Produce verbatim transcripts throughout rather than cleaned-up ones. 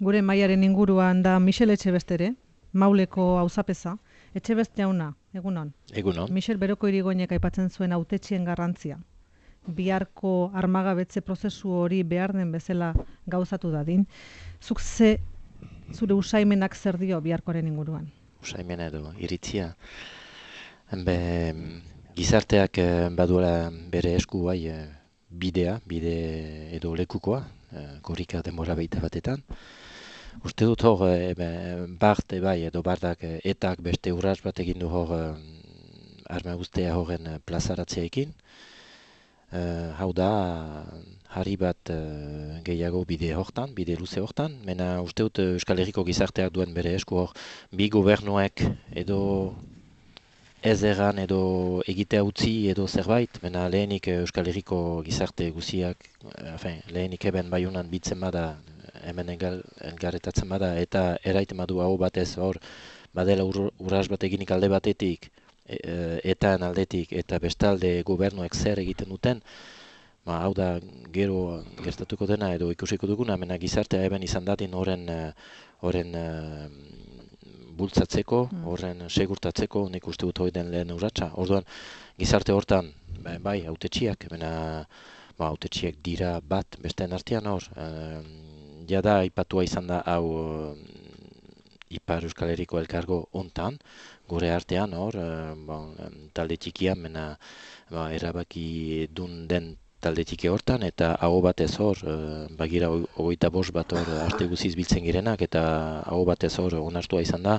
Gure maiaren inguruan da Michel Etxebestere, Mauleko auzapeza. Etxebest jauna, egunon. Egunon. Michel Beroko Irigoinek aipatzen zuen hautetxien garrantzia. Biharko armagabetze prozesu hori behar den bezala gauzatu dadin. Zuk ze zure usaimenak zer dio biharkoaren inguruan? Usaimena edo iritzia. Be, gizarteak eh, baduela bere esku bai eh, bidea, bide edo lekukoa, eh, korrika denbora baita batetan. Uste dut hor, eh, be, bart e bai edo bardak eh, etak beste urrats bat egin du hor eh, arma ustea horren eh, plazaratzeekin. Eh, hau da, harri bat eh, gehiago bide hortan, bide luze hortan, mena uste dut eh, Euskal Herriko gizarteak duen bere esku hor, bi gobernuek edo ez erran edo egitea utzi edo zerbait, mena lehenik eh, Euskal Herriko gizarte guziak, eh, enfin, lehenik eben baiunan bitzen bada, hemen engal, engarretatzen bada, eta eraiten badu hau batez hor, badela ur, urras bat eginik alde batetik, e, e, etan aldetik, eta bestalde gobernuek zer egiten duten, ba, hau da gero gertatuko dena edo ikusiko duguna, mena gizartea eben izan dadin horren eh, horren eh, bultzatzeko, Mm. horren segurtatzeko, nik uste dut hori den lehen urratsa. Orduan, gizarte hortan, bai, bai hautetxiak, mena, ba, hautetxiak dira bat besteen artean hor. Eh, jada, aipatua izan da hau eh, Ipar Euskal Herriko elkargo hontan, gure artean hor, eh, bon, em, talde txikia, mena, ba, erabaki dun den talde txiki hortan, eta aho batez hor, eh, bagira hoi- hogeita bost bat hor arte guziz biltzen girenak, eta aho batez hor onartua izan da,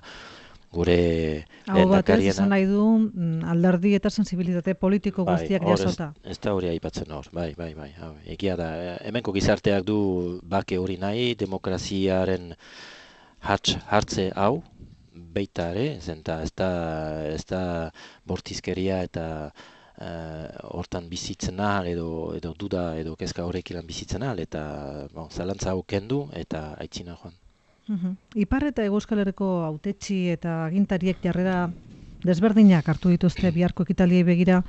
gure Hau batez, lehendakariena. esan nahi du mm, alderdi eta sensibilitate politiko Bai, guztiak hor ez, jasota. ez da hori aipatzen hor, bai, bai, bai, hau, egia da, eh, hemenko gizarteak du bake hori nahi, demokraziaren hartz, hartze hau, baita ere, zenta ez da, ez da bortizkeria eta eh, hortan bizitzen ahal edo, edo duda edo kezka horrek ilan bizitzen ahal, eta bon, zalantza hau kendu eta aitzina joan. Mhm. Ipar eta Hego Euskal Herriko hautetsi eta agintariek jarrera desberdinak hartu dituzte biharko ekitaliei begira.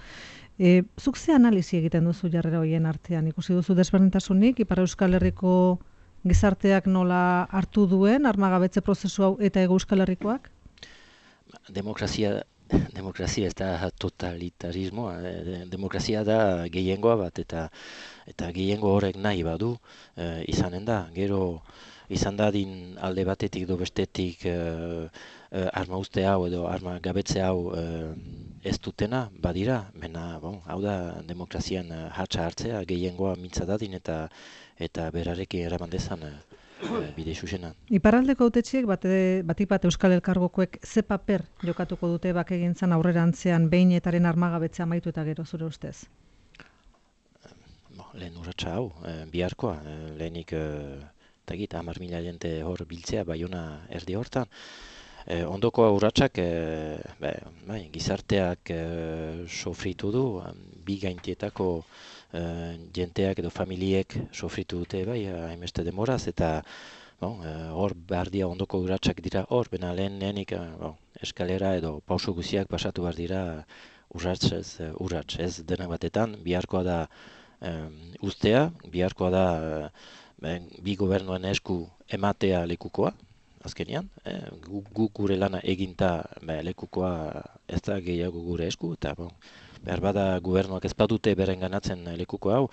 E, zuk ze analisi egiten duzu jarrera horien artean? Ikusi duzu desberdintasunik, Ipar Euskal Herriko gizarteak nola hartu duen armagabetze prozesu hau eta Hego Euskal Herrikoak? Demokrazia, demokrazia ez da totalitarismoa, eh, demokrazia da gehiengoa bat, eta eta gehiengo horrek nahi badu eh, izanen da. Gero izan dadin alde batetik edo bestetik eh, eh, arma uste hau edo arma gabetze hau eh, ez dutena badira, mena, bon, hau da demokrazian eh, hatsa hartzea, gehiengoa mintza dadin eta eta berarekin eraman dezan eh, eh, bide xuxenan. Iparraldeko hautetsiek bate, batik bat Euskal Elkargokoek ze paper jokatuko dute bakegintzan aurrerantzean behin etaren armagabetzea amaitu eta gero zure ustez? Bo, lehen urratsa hau, eh, biharkoa, eh, lehenik eh, tagit, hamar mila jente hor biltzea, baiona erdi hortan. Eh, ondoko urratsak eh, be, bai, gizarteak eh, sofritu du, em, bi gaintietako eh, jenteak edo familiek sofritu dute bai, hainbeste demoraz, eta bon, eh, hor behar dira ondoko urratsak dira hor, bena lehen lehenik eh, bon, eskalera edo pauso guziak pasatu behar dira urrats ez, eh, urrats, ez denak batetan, biharkoa da em, ustea, biharkoa da eh, ben, bi gobernuen esku ematea lekukoa, azkenean, eh, gu, gu gure lana eginta be, lekukoa ez da gehiago gure esku, eta bon, behar bada gobernuak ez badute beren ganatzen lekuko hau,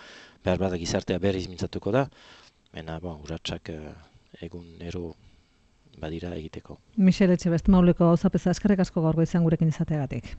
behar bada gizartea berriz mintzatuko da, mena bon, urratsak eh, egun ero badira egiteko. Michel Etxebest Mauleko auzapeza eskerrik asko gaur goizean gurekin izateagatik.